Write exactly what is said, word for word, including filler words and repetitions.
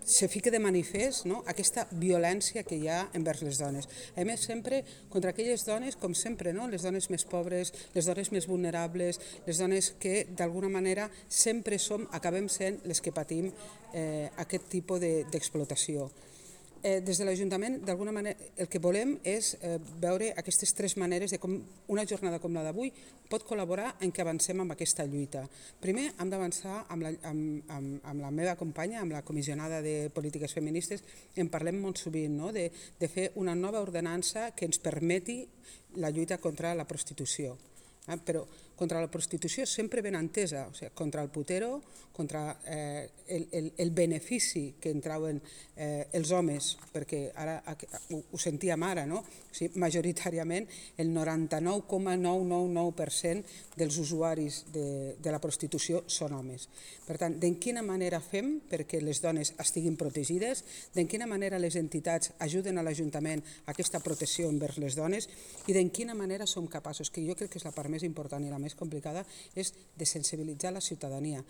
se fica de manifest aquesta violència que hi ha envers les dones. A més, sempre contra aquelles dones, com sempre, les dones més pobres, les dones més vulnerables, les dones que d'alguna manera sempre som, acabem sent les que patim aquest tipus d'explotació. Des de l'Ajuntament, d'alguna manera, el que volem és veure aquestes tres maneres de com una jornada com la d'avui pot col·laborar en què avancem amb aquesta lluita. Primer, hem d'avançar amb la meva companya, amb la comissionada de polítiques feministes, en parlem molt sovint, de fer una nova ordenança que ens permeti la lluita contra la prostitució. Però contra la prostitució sempre ben entesa, contra el putero, contra el benefici que en trauen els homes, perquè ara ho sentíem ara, majoritàriament el noranta-nou coma nou nou nou per cent dels usuaris de la prostitució són homes. Per tant, de quina manera fem perquè les dones estiguin protegides, de quina manera les entitats ajuden a l'Ajuntament a aquesta protecció envers les dones i de quina manera som capaços, que jo crec que és la part més important i la més complicada, és de sensibilitzar la ciutadania.